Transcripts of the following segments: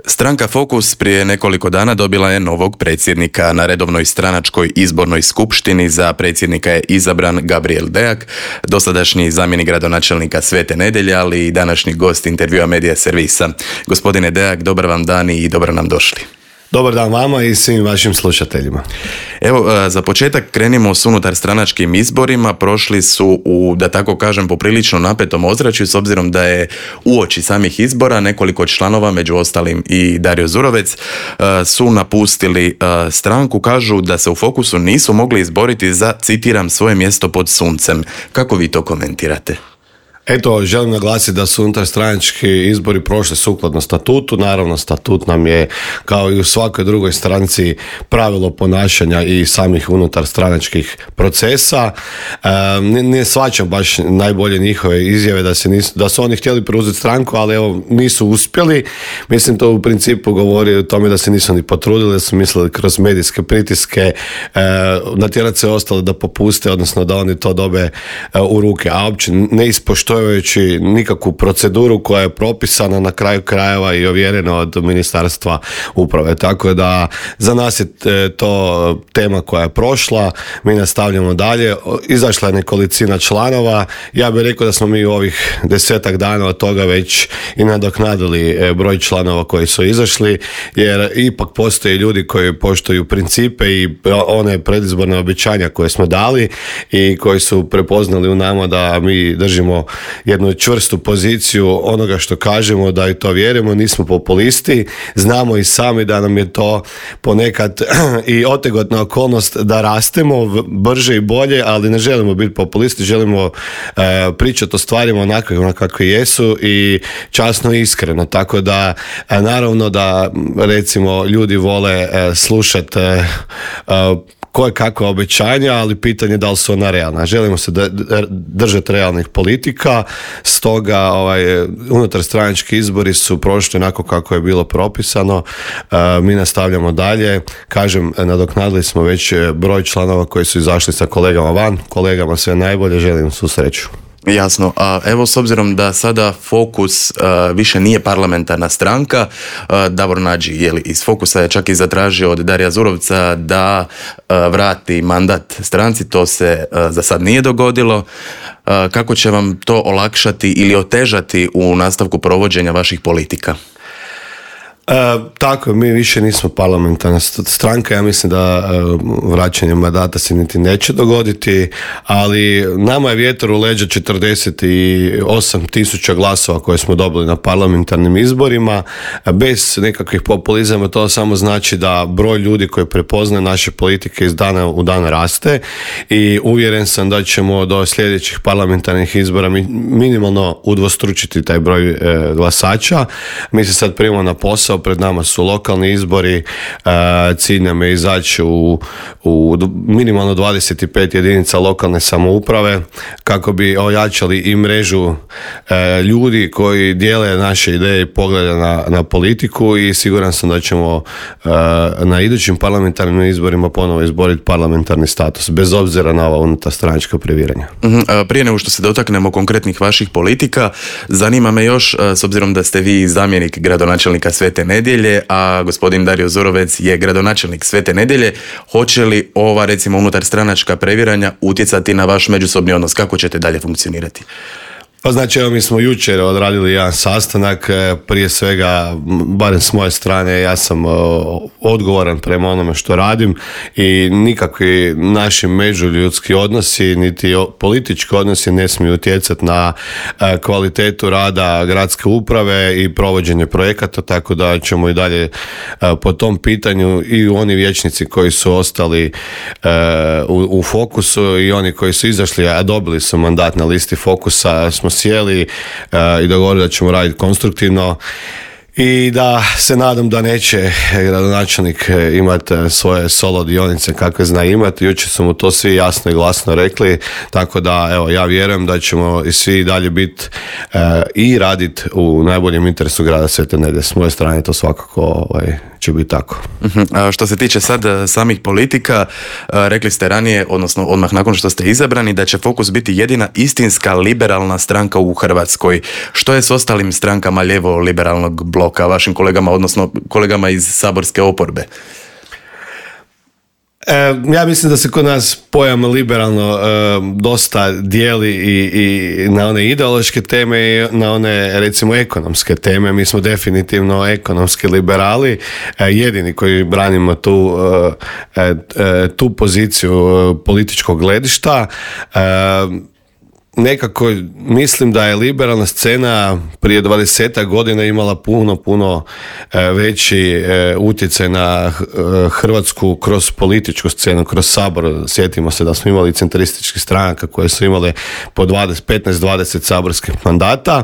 Stranka Fokus prije nekoliko dana dobila je novog predsjednika. Na redovnoj stranačkoj izbornoj skupštini za predsjednika je izabran Gabriel Deak, dosadašnji zamjenik gradonačelnika Svete Nedjelje, ali i današnji gost intervjua Medija servisa. Gospodine Deak, dobar vam dan i dobro nam došli. Dobar dan vama i svim vašim slušateljima. Evo, za početak krenimo s unutar stranačkim izborima. Prošli su u, da tako kažem, poprilično napetom ozračju, s obzirom da je uoči samih izbora nekoliko članova, među ostalim i Dario Zurovec, su napustili stranku. Kažu da se u Fokusu nisu mogli izboriti za, citiram, svoje mjesto pod suncem. Kako vi to komentirate? Eto, želim naglasiti da su unutarstranački izbori prošli sukladno statutu. Naravno, statut nam je, kao i u svakoj drugoj stranci, pravilo ponašanja i samih unutarstranačkih procesa. Ne shvaćam baš najbolje njihove izjave da su oni htjeli preuzeti stranku, ali evo, nisu uspjeli. Mislim, to u principu govori o tome da se nisu ni potrudili, da su mislili kroz medijske pritiske natjerati se ostale da popuste, odnosno da oni to dobe u ruke, a uopće ne ispoštujući nikakvu proceduru koja je propisana na kraju krajeva i ovjerena od Ministarstva uprave. Tako da za nas je to tema koja je prošla, mi nastavljamo dalje. Izašla je nekolicina članova, ja bih rekao da smo mi u ovih 10 dana od toga već i nadoknadili broj članova koji su izašli, jer ipak postoje ljudi koji poštuju principe i one predizborne obećanja koje smo dali i koji su prepoznali u nama da mi držimo jednu čvrstu poziciju onoga što kažemo, da i to vjerujemo, nismo populisti, znamo i sami da nam je to ponekad i otegotna okolnost da rastemo brže i bolje, ali ne želimo biti populisti, želimo pričati o stvarima onakve kakve jesu i časno i iskreno, tako da naravno da recimo ljudi vole slušati koje kakva obećanja, ali pitanje da li su ona realna. Želimo se držati realnih politika, stoga unutarstranački izbori su prošli onako kako je bilo propisano. Mi nastavljamo dalje. Kažem, nadoknadili smo već broj članova koji su izašli sa kolegama van. Kolegama sve najbolje, želim svu sreću. Jasno, a evo s obzirom da sada Fokus više nije parlamentarna stranka, Davor Nađi iz Fokusa je čak i zatražio od Darija Zurovca da vrati mandat stranci, to se za sad nije dogodilo. Kako će vam to olakšati ili otežati u nastavku provođenja vaših politika? Tako, mi više nismo parlamentarna stranka, ja mislim da vraćanje mandata se niti neće dogoditi, ali nama je vjetar u leđa 48.000 glasova koje smo dobili na parlamentarnim izborima, bez nekakvih populizama. To samo znači da broj ljudi koji prepoznaje naše politike iz dana u dan raste i uvjeren sam da ćemo do sljedećih parlamentarnih izbora minimalno udvostručiti taj broj glasača. Mi se sad primamo na posao, pred nama su lokalni izbori, cilj nam je izaći u minimalno 25 jedinica lokalne samouprave kako bi ojačali i mrežu ljudi koji dijele naše ideje i poglede na politiku i siguran sam da ćemo na idućim parlamentarnim izborima ponovo izboriti parlamentarni status, bez obzira na ova unutarstranačka previranja. Prije nego što se dotaknemo konkretnih vaših politika, zanima me još, s obzirom da ste vi zamjenik gradonačelnika Svete Nedjelje, a gospodin Dario Zurovec je gradonačelnik Svete Nedjelje, hoće li ova, recimo, unutarstranačka previranja utjecati na vaš međusobni odnos? Kako ćete dalje funkcionirati? Pa znači, evo, mi smo jučer odradili jedan sastanak, prije svega, barem s moje strane, ja sam odgovoran prema onome što radim i nikakvi naši međuljudski odnosi, niti politički odnosi ne smiju utjecati na kvalitetu rada gradske uprave i provođenje projekata, tako da ćemo i dalje po tom pitanju i oni vijećnici koji su ostali u Fokusu i oni koji su izašli, a dobili su mandat na listi Fokusa, smo sjeli i dogovorili da ćemo raditi konstruktivno i da se nadam da neće gradonačelnik imati svoje solo dionice kakve zna imati. Jučer su mu to svi jasno i glasno rekli, tako da evo, ja vjerujem da ćemo i svi dalje biti i raditi u najboljem interesu grada Svete Nedjelje. S moje strane to svakako će biti tako. Što se tiče sad samih politika, rekli ste ranije, odnosno odmah nakon što ste izabrani, da će Fokus biti jedina istinska liberalna stranka u Hrvatskoj. Što je s ostalim strankama lijevo-liberalnog bloka bloka, vašim kolegama, odnosno kolegama iz saborske oporbe? Ja mislim da se kod nas pojam liberalno dosta dijeli i na one ideološke teme i na one, recimo, ekonomske teme. Mi smo definitivno ekonomski liberali, jedini koji branimo tu poziciju političkog gledišta. Nekako mislim da je liberalna scena prije 20 godina imala puno veći utjecaj na Hrvatsku kroz političku scenu, kroz Sabor. Sjetimo se da smo imali centrističkih stranaka koje su imale po 15-20 saborskih mandata.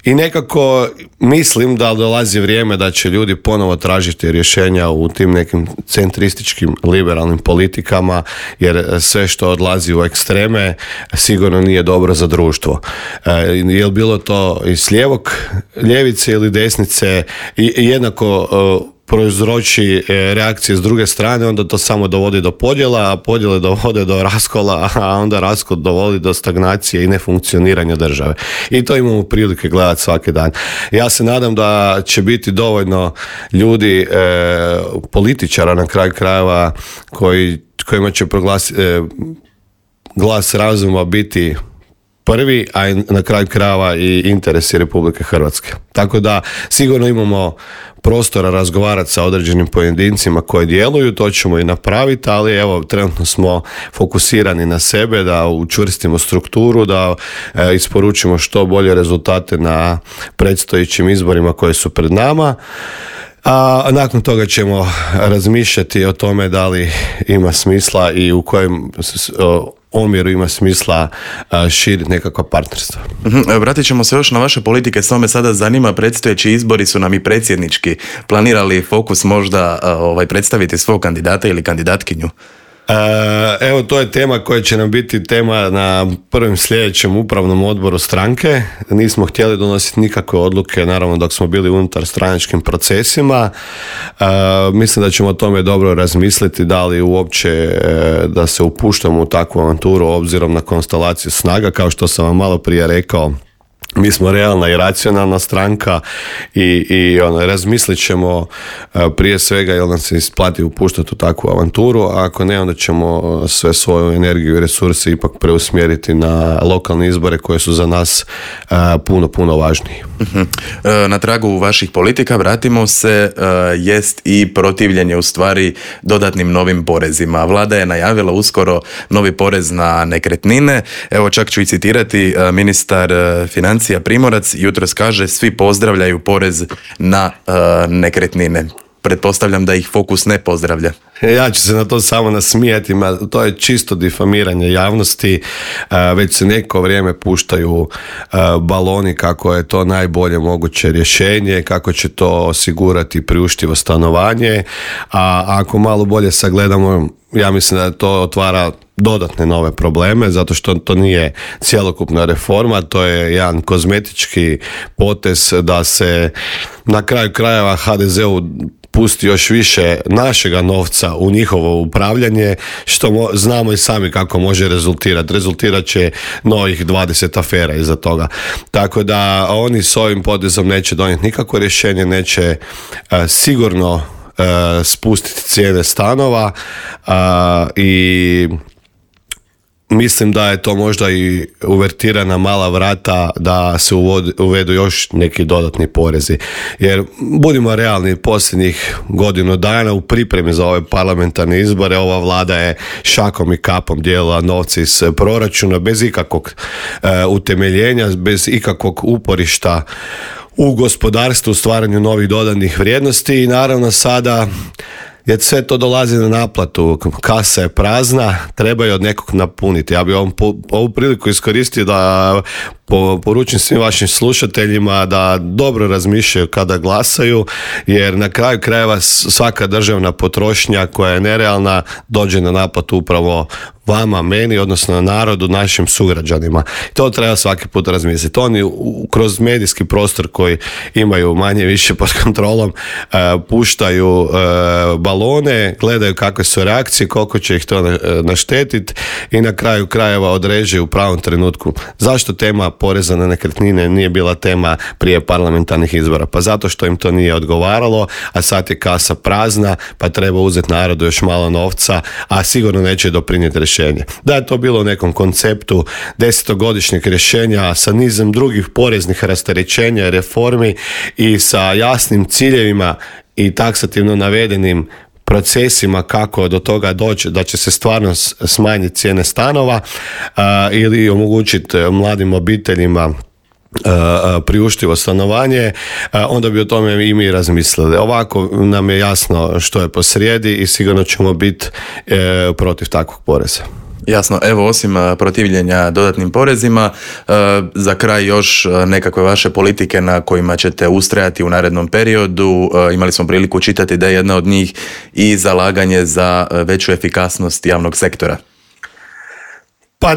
I nekako mislim da dolazi vrijeme da će ljudi ponovo tražiti rješenja u tim nekim centrističkim liberalnim politikama, jer sve što odlazi u ekstreme sigurno nije dobro za društvo. Je li bilo to iz ljevice ili desnice, i jednako prouzroči reakcije s druge strane, onda to samo dovodi do podjela, a podjele dovode do raskola, a onda raskol dovodi do stagnacije i nefunkcioniranja države. I to imamo prilike gledati svaki dan. Ja se nadam da će biti dovoljno ljudi, političara na kraju krajeva, kojima će glas razuma biti prvi, a na kraju krajeva i interesi Republike Hrvatske. Tako da sigurno imamo prostora razgovarati sa određenim pojedincima koji djeluju, to ćemo i napraviti, ali evo, trenutno smo fokusirani na sebe, da učvrstimo strukturu, da isporučimo što bolje rezultate na predstojećim izborima koji su pred nama. A nakon toga ćemo razmišljati o tome da li ima smisla i u kojem omjeru ima smisla širiti nekakva partnerstva. Vratit ćemo se još na vaše politike, samo me sada zanima, predstojeći izbori su nam i predsjednički. Planirali Fokus možda predstaviti svog kandidata ili kandidatkinju? Evo, to je tema koja će nam biti tema na prvom sljedećem upravnom odboru stranke. Nismo htjeli donositi nikakve odluke, naravno, dok smo bili unutar stranačkim procesima. Mislim da ćemo o tome dobro razmisliti, da li uopće da se upuštamo u takvu avanturu obzirom na konstelaciju snaga. Kao što sam vam malo prije rekao, mi smo realna i racionalna stranka i razmislit ćemo prije svega jel nam se isplati upuštati u takvu avanturu, a ako ne, onda ćemo sve svoju energiju i resurse ipak preusmjeriti na lokalne izbore koje su za nas puno važniji. Na tragu vaših politika, vratimo se, jest i protivljenje u stvari dodatnim novim porezima. Vlada je najavila uskoro novi porez na nekretnine. Evo, čak ću i citirati, ministar financija Primorac jutros kaže: svi pozdravljaju porez na nekretnine. Pretpostavljam da ih Fokus ne pozdravlja. Ja ću se na to samo nasmijati, to je čisto difamiranje javnosti. Već se neko vrijeme puštaju baloni kako je to najbolje moguće rješenje, kako će to osigurati priuštivo stanovanje, a ako malo bolje sagledamo, ja mislim da to otvara dodatne nove probleme, zato što to nije cjelokupna reforma, to je jedan kozmetički potez da se na kraju krajeva HDZ-u pusti još više našega novca u njihovo upravljanje, što znamo i sami kako može rezultirati. Rezultirat će novih 20 afera iza toga. Tako da oni s ovim potezom neće donijeti nikakvo rješenje, neće sigurno spustiti cijene stanova i mislim da je to možda i uvertirana mala vrata da se uvedu još neki dodatni porezi. Jer budimo realni, posljednjih godinu dana u pripremi za ove parlamentarne izbore ova vlada je šakom i kapom dijelila novce iz proračuna bez ikakvog utemeljenja, bez ikakvog uporišta u gospodarstvu, u stvaranju novih dodanih vrijednosti i naravno sada jer sve to dolazi na naplatu, kasa je prazna, treba je od nekog napuniti. Ja bih ovu priliku iskoristio da poručim svim vašim slušateljima da dobro razmišljaju kada glasaju, jer na kraju krajeva svaka državna potrošnja koja je nerealna dođe na naplatu upravo vama, meni, odnosno narodu, našim sugrađanima. To treba svaki put razmisliti. Oni kroz medijski prostor koji imaju manje više pod kontrolom puštaju balone, gledaju kakve su reakcije, koliko će ih to naštetiti i na kraju krajeva određuju u pravom trenutku. Zašto tema poreza na nekretnine nije bila tema prije parlamentarnih izbora? Pa zato što im to nije odgovaralo, a sad je kasa prazna, pa treba uzeti narodu još malo novca, a sigurno neće doprinijeti rješenje. Da je to bilo u nekom konceptu 10-godišnjeg rješenja sa nizom drugih poreznih rasterećenja, reformi i sa jasnim ciljevima i taksativno navedenim procesima kako do toga doći da će se stvarno smanjiti cijene stanova ili omogućiti mladim obiteljima priuštivo stanovanje, onda bi o tome i mi razmislili. Ovako nam je jasno što je posrijedi i sigurno ćemo biti protiv takvog poreza. Jasno, evo osim protivljenja dodatnim porezima, za kraj još nekakve vaše politike na kojima ćete ustrajati u narednom periodu. Imali smo priliku čitati da je jedna od njih i zalaganje za veću efikasnost javnog sektora. Pa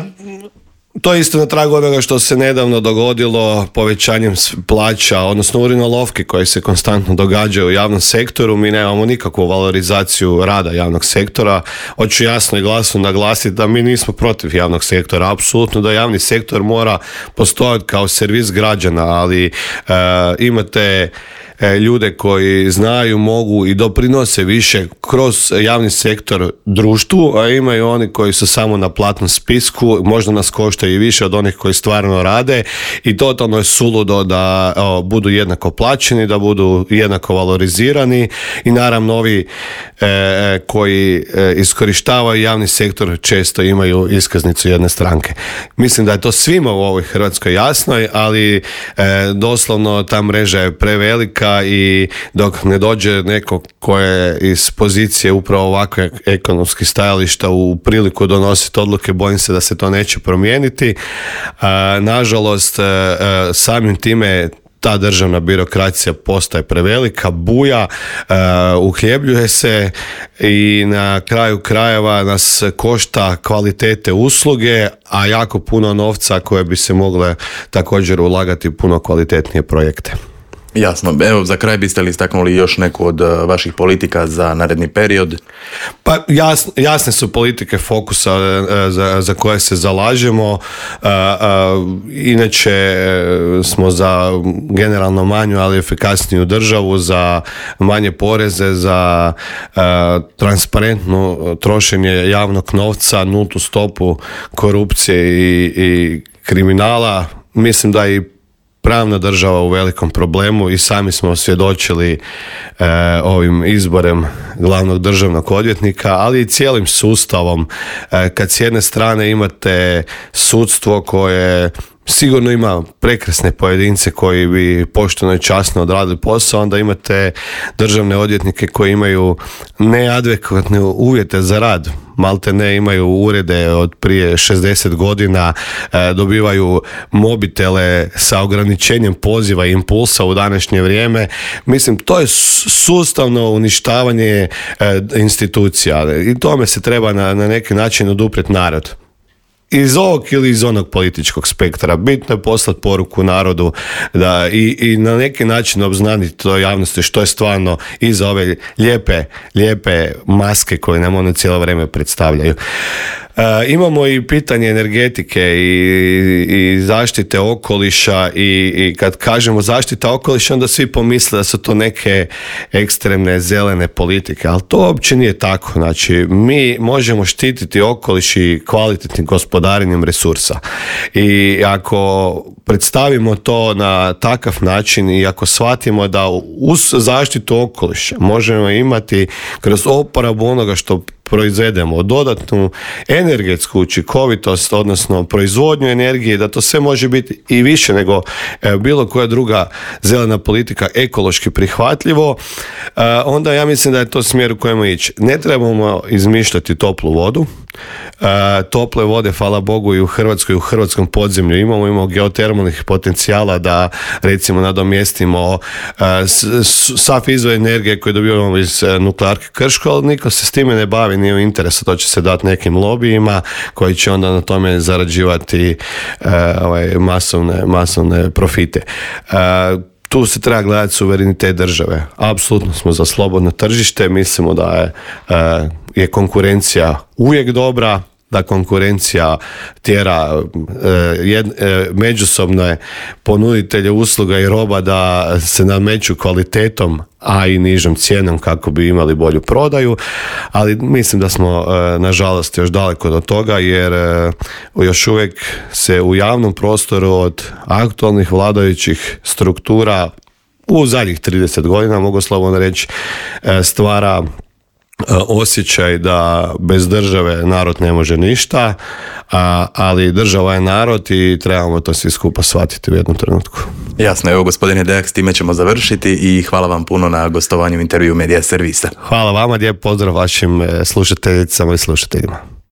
to je isto na tragu onoga što se nedavno dogodilo povećanjem plaća, odnosno urinolovki koje se konstantno događaju u javnom sektoru. Mi nemamo nikakvu valorizaciju rada javnog sektora. Hoću jasno i glasno naglasiti da mi nismo protiv javnog sektora. Apsolutno da javni sektor mora postojati kao servis građana, ali imate ljude koji znaju, mogu i doprinose više kroz javni sektor društvu, a imaju oni koji su samo na platnom spisku, možda nas koštaju i više od onih koji stvarno rade i totalno je suludo da budu jednako plaćeni, da budu jednako valorizirani i naravno ovi koji iskorištavaju javni sektor često imaju iskaznicu jedne stranke. Mislim da je to svima u ovoj Hrvatskoj jasnoj, ali doslovno ta mreža je prevelika i dok ne dođe neko ko je iz pozicije upravo ovakve ekonomskih stajališta u priliku donositi odluke, bojim se da se to neće promijeniti. Nažalost, samim time ta državna birokracija postaje prevelika, buja, uhljebljuje se i na kraju krajeva nas košta kvalitete usluge, a jako puno novca koje bi se mogle također ulagati u puno kvalitetnije projekte. Jasno. Evo, za kraj biste li istaknuli još neku od vaših politika za naredni period? Pa jasne su politike fokusa za koje se zalažemo. Inače smo za generalno manju, ali efikasniju državu, za manje poreze, za transparentno trošenje javnog novca, nultu stopu korupcije i kriminala. Mislim da i pravna država u velikom problemu i sami smo svjedočili ovim izborem glavnog državnog odvjetnika, ali i cijelim sustavom. Kad s jedne strane imate sudstvo koje sigurno ima prekrasne pojedince koji bi pošteno i časno odradili posao, onda imate državne odvjetnike koji imaju neadekvatne uvjete za rad. Malte ne imaju urede od prije 60 godina, dobivaju mobitele sa ograničenjem poziva i impulsa u današnje vrijeme. Mislim, to je sustavno uništavanje institucija i tome se treba na neki način oduprijeti narod. Iz ovog ili iz onog političkog spektra. Bitno je poslati poruku narodu da i na neki način obznaniti to javnosti što je stvarno iza ove lijepe maske koje nam one cijelo vrijeme predstavljaju. Imamo i pitanje energetike i zaštite okoliša i kad kažemo zaštita okoliša onda svi pomisle da su to neke ekstremne zelene politike, ali to uopće nije tako. Znači, mi možemo štititi okoliš i kvalitetnim gospodarenjem resursa i ako predstavimo to na takav način i ako shvatimo da uz zaštitu okoliša možemo imati kroz oporabu onoga što proizvedemo, dodatnu energetsku učinkovitost, odnosno proizvodnju energije, da to sve može biti i više nego bilo koja druga zelena politika ekološki prihvatljivo, onda ja mislim da je to smjer u kojemu ići. Ne trebamo izmišljati toplu vodu. Tople vode, hvala Bogu, i u Hrvatskoj, u hrvatskom podzemlju imamo geotermalnih potencijala da recimo nadomjestimo sav izvor energije koji dobivamo iz nuklearke Krško, ali niko se s time ne bavi, nije u interesu, to će se dati nekim lobijima koji će onda na tome zarađivati masovne profite. Tu se treba gledati suverenitet države. Apsolutno smo za slobodno tržište, mislimo da je konkurencija uvijek dobra, da konkurencija tjera međusobne ponuditelje usluga i roba da se nameću kvalitetom, a i nižom cijenom kako bi imali bolju prodaju, ali mislim da smo nažalost još daleko do toga, jer još uvijek se u javnom prostoru od aktualnih vladajućih struktura u zadnjih 30 godina, mogu slobodno reći, stvara osjećaj da bez države narod ne može ništa, ali država je narod i trebamo to svi skupa shvatiti u jednom trenutku. Jasno, evo gospodine Dejak, s time ćemo završiti i hvala vam puno na gostovanju u intervju Medija servisa. Hvala vama, lijep pozdrav vašim slušateljicama i slušateljima.